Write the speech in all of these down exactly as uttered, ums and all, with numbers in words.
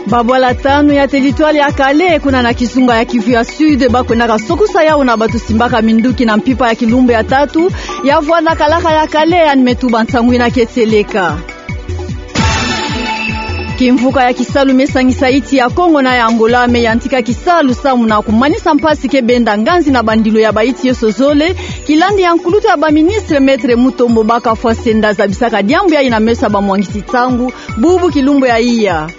Babwala tanu ya territoire ya Kale, kuna na kizunga ya Kivu ya Sud, bakwendaka sokusa yau na bato simbaka minduki na mpimpa ya kilumbu ya tatu ya vwanda kalaka ya Kale, yandi me tuba nsangu ina ke tieleka. Kimvuka ya kisalu me sangisa insi ya Kongo na ya Angola me yantika kisalu samu na kumanisa mpasi ke benda nganzi na bandilu ya bainsi yoso zole, kilandi ya nkulutu ya baministre Maître Mutombo Bakafwa Senda zabisaka diambu yayi na meso ya bamwangisi nsangu bubu kilumbu ya iya.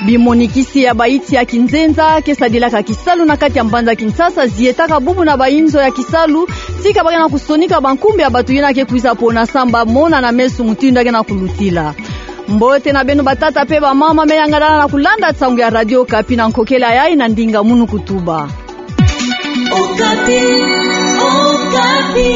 Bimonikisi ya bainsi ya kinzenza ke sadilaka kisalu na kati ya mbanza Kinshasa zietaka bubu na bainzo ya kisalu, tika ba ke na kusonika bankumbu ya bato ina ke kwiza pona samu ba mona na meso mutindu ya ke na kulutila. Mbote na beno batata pe bamama me yangalala na kulanda nsangu ya Radio Okapi na nkokela yayi na ndinga munu kutuba. Okapi, Okapi.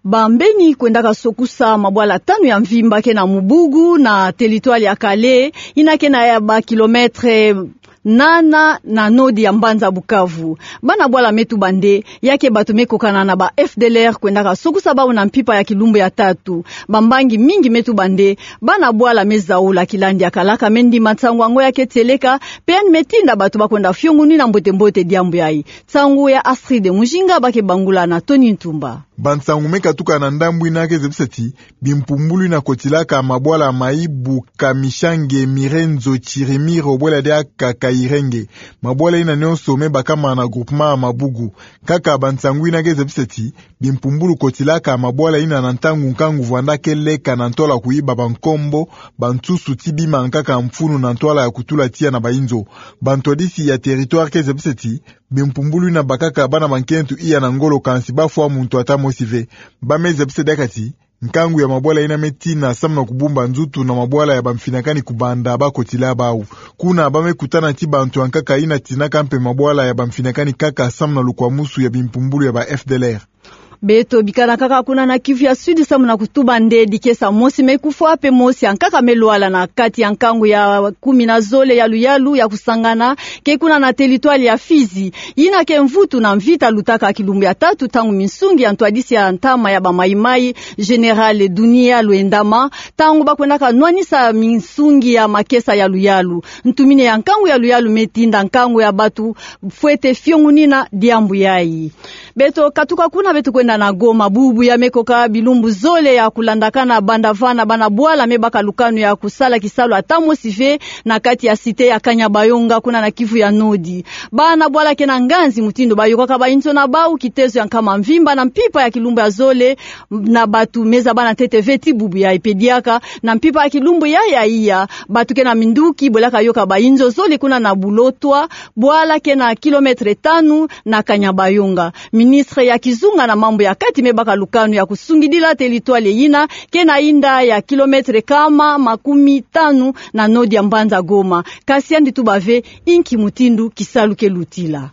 Bambeni kwendaka sokusa mabwala tanu ya mvimba ke na mubugu na territoire ya Kale, ina ke na ya ba kilomètre nana na nord ya mbanza Bukavu. Bana bwala me tuba nde, ya ke bato me kokana na ba F D L R kwendaka sokusa bau na mpimpa ya kilumbu ya tatu. Bambangi mingi me tuba nde, bana bwala me zaula kilandi ya kalaka me ndima nsangu yango ya ke tieleka, pe yandi me tinda bato bakwenda fiongunina mbote-mbote diambu yayi. Nsangu ya Astrid Mujinga ba ke bangula na Tony Ntumba. Bansangu me katuka na ndambu ina ke zebisa ti bimpumbulu ina kotilaka mabwala Mayibu, Kamishange, Mirenzo, Chirimiro, bwela diaka Kayirenge. Mabwala ina nyonso me bakama na groupement ya Mabugu. Kaka bansangu ina ke zebisa ti bimpumbulu kotilaka mabwala ina na ntangu nkangu vwanda ke leka na ntwala kuyiba bankombo, bansusu ti bima nkaka mfunu na ntwala ya kutula tiya na bainzo. Bantwadisi ya territoire ke zebisa ti bimpumbulu ina bakaka bana bankento iya na ngolo kansi bafwa muntu ata mosi ve. Ba me zebisa diaka ti nkangu ya mabwala ina me tina samu na kubumba nzutu na mabwala ya bamfinakani kubanda bakotila bau. Kuna ba me kutana ti bantu ya nkaka ina tinaka mpe mabwala ya bamfinakani kaka samu na lukwamusu ya bimpumbulu ya ba F D L R. Beto bikana kaka kuna na Kivu ya Sud samu na kutuba nde dikesa mosi me kufwa pe mosi ya nkaka me lwala na kati ya nkangu ya kumi na zole ya luyalu ya kusangana ke kuna na territoire ya Fizi. Ina ke mvutu na mvita lutaka kilumbu ya tatu ntangu minsungi ya ntwadisi ya ntama ya ba Maï-Maï, Général Dunia Luendama, ntangu bakwendaka nwanisa minsungi ya makesa ya luyalu. Ntumini ya nkangu ya luyalu me tinda nkangu ya bato fwete fiongunina diambu yayi. Beto katuka kuna, beto kwenda na Goma. Bubu ya me koka bilumbu zole ya kulandakana banda vana, bana bwala me baka lukanu ya kusala kisalu ata mosi ve na kati ya cité ya Kanyabayonga kuna na Kivu ya Nord. Bana bwala ke na nganzi mutindu bayokaka bainzo na bau, kitezo ya nkama mvimba na mpimpa ya kilumbu ya zole, na bato me zaba na ntete ve ti bubu yayi pe diaka na mpimpa ya kilumbu yayi ya iya, bato ke na minduki bwelaka yoka bainzo zole kuna na Bulotwa, bwala ke na kilomètre tanu na Kanyabayonga. Ministre ya kizunga na mambu ya kati me baka lukanu ya kusungidila territoire ina ke na inda ya kilomètre kama makumi tanu na nord ya mbanza Goma. Kasi yandi tuba ve inki mutindu kisalu ke lutila.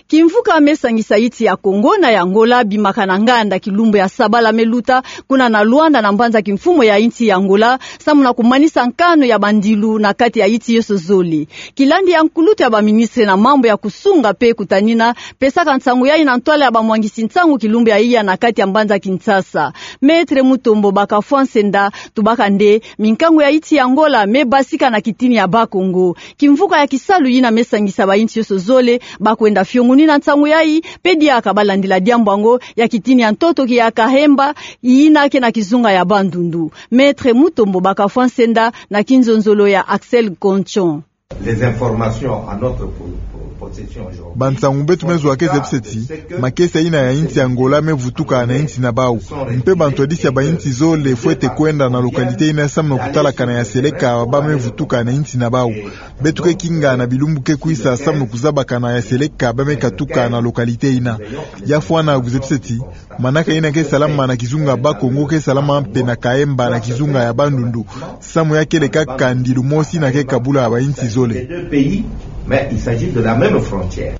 Kimvuka me sangisa insi ya Kongo na ya Angola bimaka na nganda kilumbu ya sabala me luta kuna na Luanda na mbanza kimfumu ya insi ya Angola, samu na kumanisa nkanu ya bandilu na kati ya insi yoso zole. Kilandi ya nkulutu ya baministre na mambu ya kusunga pe kutanina pesaka nsangu yayi na ntwala ya bamwangisi nsangu kilumbu ya iya na kati ya mbanza Kinshasa, Maître Mutombo Bakafwa Nsenda, tubaka nde minkangu ya insi ya Angola me basika na kitini ya Bas-Congo. Kimvuka ya kisalu yina me sangisa bainsi yoso zole bakwenda fiongunina nsangu yayi, pe diaka balandila diambu yango, ya kitini ya ntoto ki ya Kahemba, yina ke na kizunga ya Bandundu. Maître Mutombo Bakafwa Nsenda na kinzonzolo ya Axel Gonchon. Les informations à notre po-, po-, possession aujourd'hui. Bansangu beto me zwa ke zebisa ti makesa ina ya insi ya Angola me vutuka na insi na bau. Mpe bantwadisi ya bainsi zole fwete kwenda na localité ina samu na kutalakana ya seleka ba me vutuka na insi na bau. Beto ke kinga na bilumbu ke kwisa samu na kuzabakana ya seleka ba me katuka na localité ina. Ya fwana kuzebisa ti manaka ina ke salama na kizunga Bas-Congo ke salama mpe na Kahemba na kizunga ya Bandundu. Samu ya kele kaka ndilu mosi ina ke kabula bainsi zole. Les deux pays, mais il s'agit de la même frontière.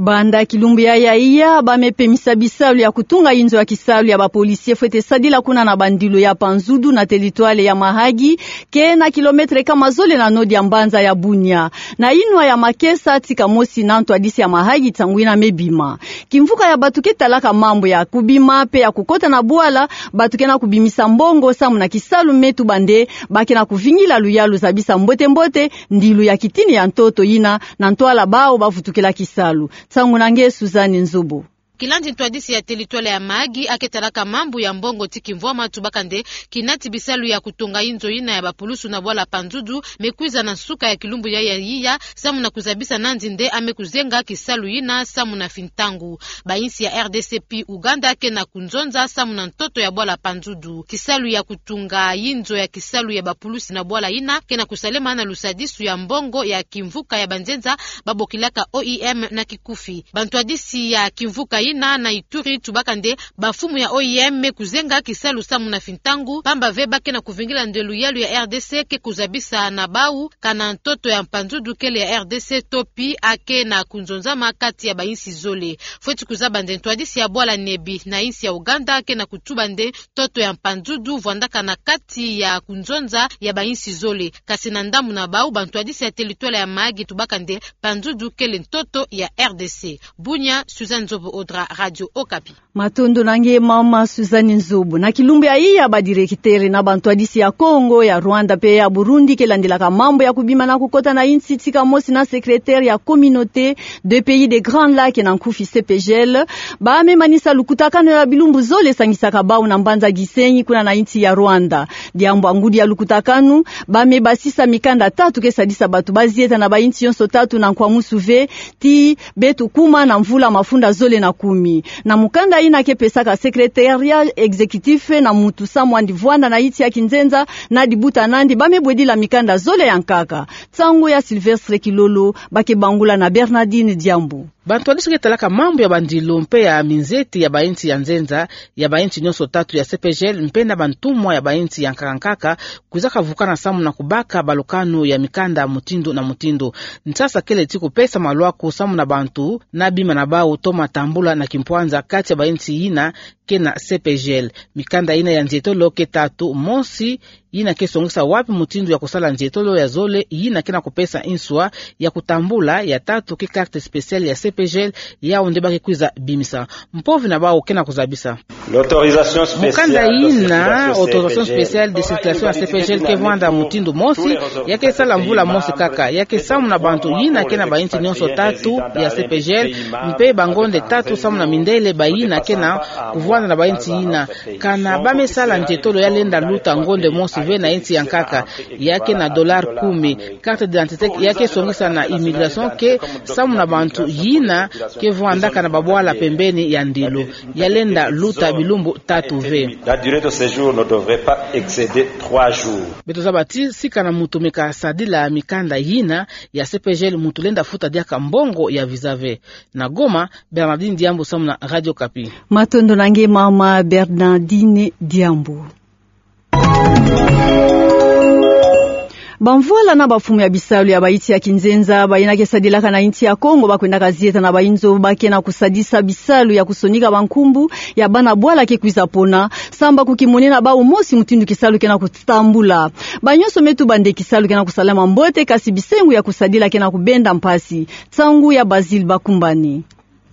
Banda kilumbu yayi ya iya, ba me pemisa bisalu ya kutunga inzo ya kisalu ya ba policiers fwete sadila kuna na bandilu ya Panzudu na territoire ya Mahagi, ke na kilomètre kama zole na nord ya mbanza ya Bunia. Na inwa ya makesa tika mosi na ntwadisi ya Mahagi ntangu yina me bima. Kimvuka ya bantu ke talaka mambu ya kubima mpe ya kukota na bwala, bantu ke na kubimisa mbongo samu na kisalu me tuba nde ba ke na kuvingila luyalu zabisa mbote-mbote ndilu ya kitini ya ntoto yina na ntwala bawu ba vutukila kisalu. Nsangu na nge Suzanne Nzobo. Kilandi ntwadisi ya territoire ya Mahagi, a ke talaka mambu ya mbongo ti kimvwama, tubaka nde kinati bisalu ya kutonga inzo yina ya bapulusu na bwala Panzudu me kwiza na nsuka ya kilumbu yayi ya iya, samu na kuzabisa nandi nde a me kuzenga kisalu yina samu na fintangu. Ba insi ya R D C mpe Ouganda ke na kunzonza samu na ntoto ya bwala Panzudu. Kisalu ya kutunga inzo ya kisalu ya bapulusi na bwala yina ke na kusalema na lusadisu ya mbongo ya kimvuka ya banzenza ba bokilaka O I M na kikufi. Bantwadisi ya kimvuka yina na Ituri tubaka nde bamfumu ya O I M me kuzenga kisalu samu na fintangu, pamba ve ba ke na kuvingila nde luyalu ya R D C ke kuzabisa na bawu kana ntoto ya Panzudu kele ya R D C, to mpi a ke na kunzonzama kati ya ba insi zole. Fweti kuzaba nde ntwadisi ya bwala Nebi na insi ya Ouganda ke na kutuba nde ntoto ya Panzudu vwandaka na kati ya kunzonza ya ba insi zole. Kasi na ndambu na bawu, bantwadisi ya territoire ya Mahagi tubaka nde Panzudu kele ntoto ya R D C. Bunia, Suzanne Nzobo Odra, Radio Okapi. Matondo na nge mama Suzanne Nzobo. Na kilumbu yayi ya ba directeur na bantwadisi ya Kongo, ya Rwanda mpe ya Burundi ke landilaka mambu ya kubima na kukota na insi tika mosi na secrétaire ya communauté des pays des Grands Lacs na nkufi C P G L, ba me manisa lukutakanu ya bilumbu zole sangisaka bawu na mbanza Gisenyi kuna na insi ya Rwanda. Diambu ya ngudi ya lukutakanu, ba me basisa mikanda tatu ke sadisa bantu ba zieta na ba insi yonso tatu na nkwamusu ve, ti beto kuma na mvula mafunda zole na kumi. Na mukanda yina ke pesaka secrétariat exécutif na muntu samu andi vwanda na insi ya kinzenza na dibuta nandi, ba me bwedila mikanda zole ya nkaka. Nsangu ya Sylvestre Kilolo, ba ke bangula na Bernardine Diambu. Bantwadisi ke talaka mambu ya bandilu mpe ya minzeti ya ba insi ya nzenza, ya ba insi nyonso tatu ya C P G L, mpe na bantumwa ya ba insi ya nkaka nkaka, kwizaka vukana samu na kubaka balukanu ya mikanda mutindu na mutindu. Nsasa kele ti kupesa malwaku samu na bantu na bima na bawu toma tambula na kimpwanza kati ya ba insi yina ke na C P G L. Mikanda yina ya nzietolo ke tatu: mosi, yina ke songisa wapi mutindu ya kusala nzietolo; ya zole, yina ke na kupesa nswa ya kutambula; ya tatu ke carte spéciale ya C P G L, yawu nde ba ke kwiza bimisa. Mpovi na bawu ke na kuzabisa. L'autorisation spéciale de circulation C P G L. Mukanda yina, autorisation spéciale de circulation ya C P G L, ke vwanda mutindu mosi, ya ke sala mvula mosi kaka, ya ke samu na bantu yina ke na ba insi nyonso tatu ya C P G L, mpe bangonde tatu samu na mindele bayina ke na kuvwanda na ba insi yina. Kana ba me sala nzietolo, ya lenda luta ngonde mosi ve na insi ya nkaka, ya ke na dollar kumi. Carte d'identité ya ke songisa na immigration ke samu na bantu yina ke vwandaka na babwala pembeni ya ndilu, ya lenda luta bilumbu tatu ve. La durée de séjour ne devrait pas excéder trois jours. Beto zaba ti sika na muntu me kasadila mikanda yina ya C P G L, muntu lenda futa diaka mbongo ya visa ve. Na Goma, Bernardine Diambu samu na Radio Okapi. Matondo na nge mama Bernardine Diambu. Bamvwala na bamfumu ya bisalu ya ba insi ya kinzenza, bayina ke sadilaka na insi ya Kongo, ba kwendaka zieta na ba inzo ba ke na kusadisa bisalu ya kusonika bankumbu ya bana bwala ke kwiza pona, samba ku kimwene na bawu mosi mutindu kisalu ke na kutambula. Ba nyonso me tuba nde kisalu ke na kusalama mbote, kasi bisengo ya kusadila ke na kubenda mpasi. Nsangu ya Basile Bakumbani.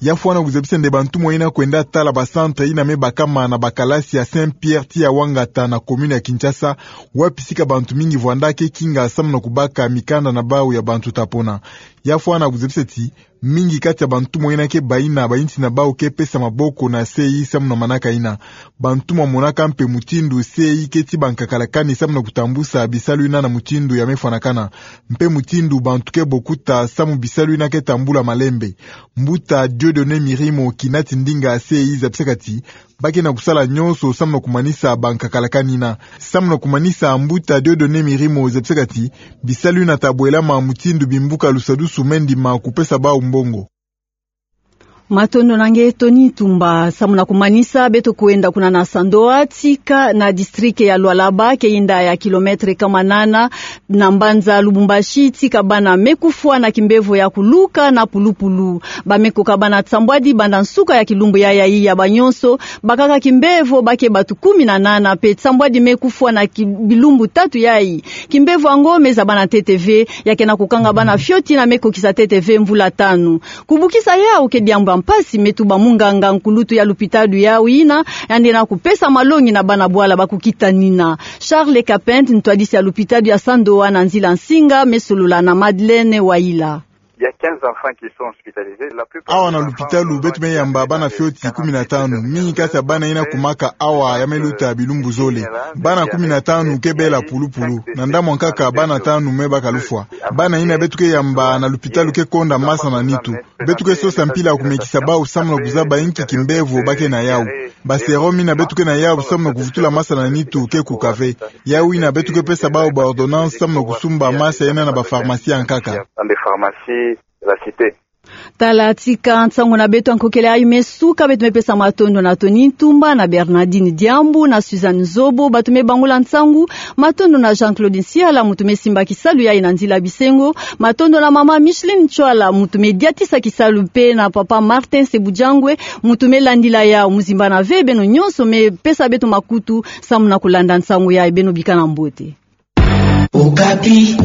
Ya fwana kuzabisa nde bantumwa yina kwenda tala ba centre yina me bakama na bakalasi ya Saint Pierre ti ya Wangata na commune ya Kinshasa, wapi sika bantu mingi vwanda ke kinga samu na kubaka mikanda na bawu ya bantu ta pona. Ya fwana kuzabisa ti mingi kati ya bantumwa yina ke bayina, ba insi na bawu ke pesa maboko na C I samu na manaka yina. Bantumwa monaka mpe mutindu C I ke tiba nkakalakani samu na kutambusa bisalu yina na mutindu ya me fwanakana, mpe mutindu bantu ke bokuta samu bisalu yina ke tambula malembe. Mbuta Dieudonné Mirimo, kinati ndinga C I, zabisaka ti ba ke na kusala nyonso samu na kumanisa bankakalakani yina. Samu na kumanisa, Mbuta Dieudonné Mirimo zabisaka ti bisalu yina ta bwelama mutindu bimbuka lusadusu me ndima kupesa bawu mbongo. Matondo na nge Tony Tumba. Samu na kumanisa, beto kwenda kuna na Sandoa, tika na district ya Lualaba, ke yinda ya kilomètre kama nana na mbanza Lubumbashi, tika bana me kufwa na kimbevo ya kuluka na pulupulu. Ba me koka bana nsambwadi banda nsuka ya kilumbu yayi ya ba nyonso, bakaka kimbevo ba ke batu kumi na nana, mpe nsambwadi me kufwa na ki-, bilumbu tatu yayi. Kimbevo yango me zaba na ntete ve, ya ke na kukanga bana fioti na me kokisa ntete ve mvula tanu. Kubukisa yawu ke diambu ya mpasi, me tuba munganga nkulutu ya lupitalu yawu yina, yandi na kupesa malongi na bana bwala ba kukitanina. Charles Capent, ntwadisi ya lupitalu ya Sandoa na nzila nsinga, me solola na Madeleine Wayila. Il y a quinze enfants qui sont hospitalisés. La plupart des enfants... Awa na lupitalu beto me yamba bana fioti kumi na tanu. Mingi kati ya bana yina kumaka awa ya me luta bilumbu zole. Bana kumi na tanu ke bela pulupulu. Na ndambu ya nkaka bana tanu me baka lufwa. Bana yina beto ke yamba na lupitalu ke konda masa na nitu. Beto ke sosa mpila ya kumekisa bawu samu na kuzaba inki kimbevo ba ke na yawu. Ba sérum yina beto ke na yawu samu na kuvutula masa na nitu ke kuka ve. Yawu yina beto ke pesa bawu ba ordonnance samu na kusumba masa yina na ba pharmacie ya nkaka. Dans des pharmacies de la cité. Tala tika nsangu na beto ya nkokele ayi me suka, beto me pesa matondo na Tony Tumba, na Bernardine Diambu, na Suzanne Zobo, batu me bangula nsangu. Matondo na Jean-Claude Nsiala, muntu me simba kisalu yayi na nzila bisengo. Matondo na mama Micheline Ntsoala, muntu me diatisa kisalu, mpe na papa Martin Sebujangwe, muntu me landila yawu. Muzimbana ve beno nyonso me pesa beto makutu samu na kulanda nsangu yayi. Beno bikana mbote. Okapi.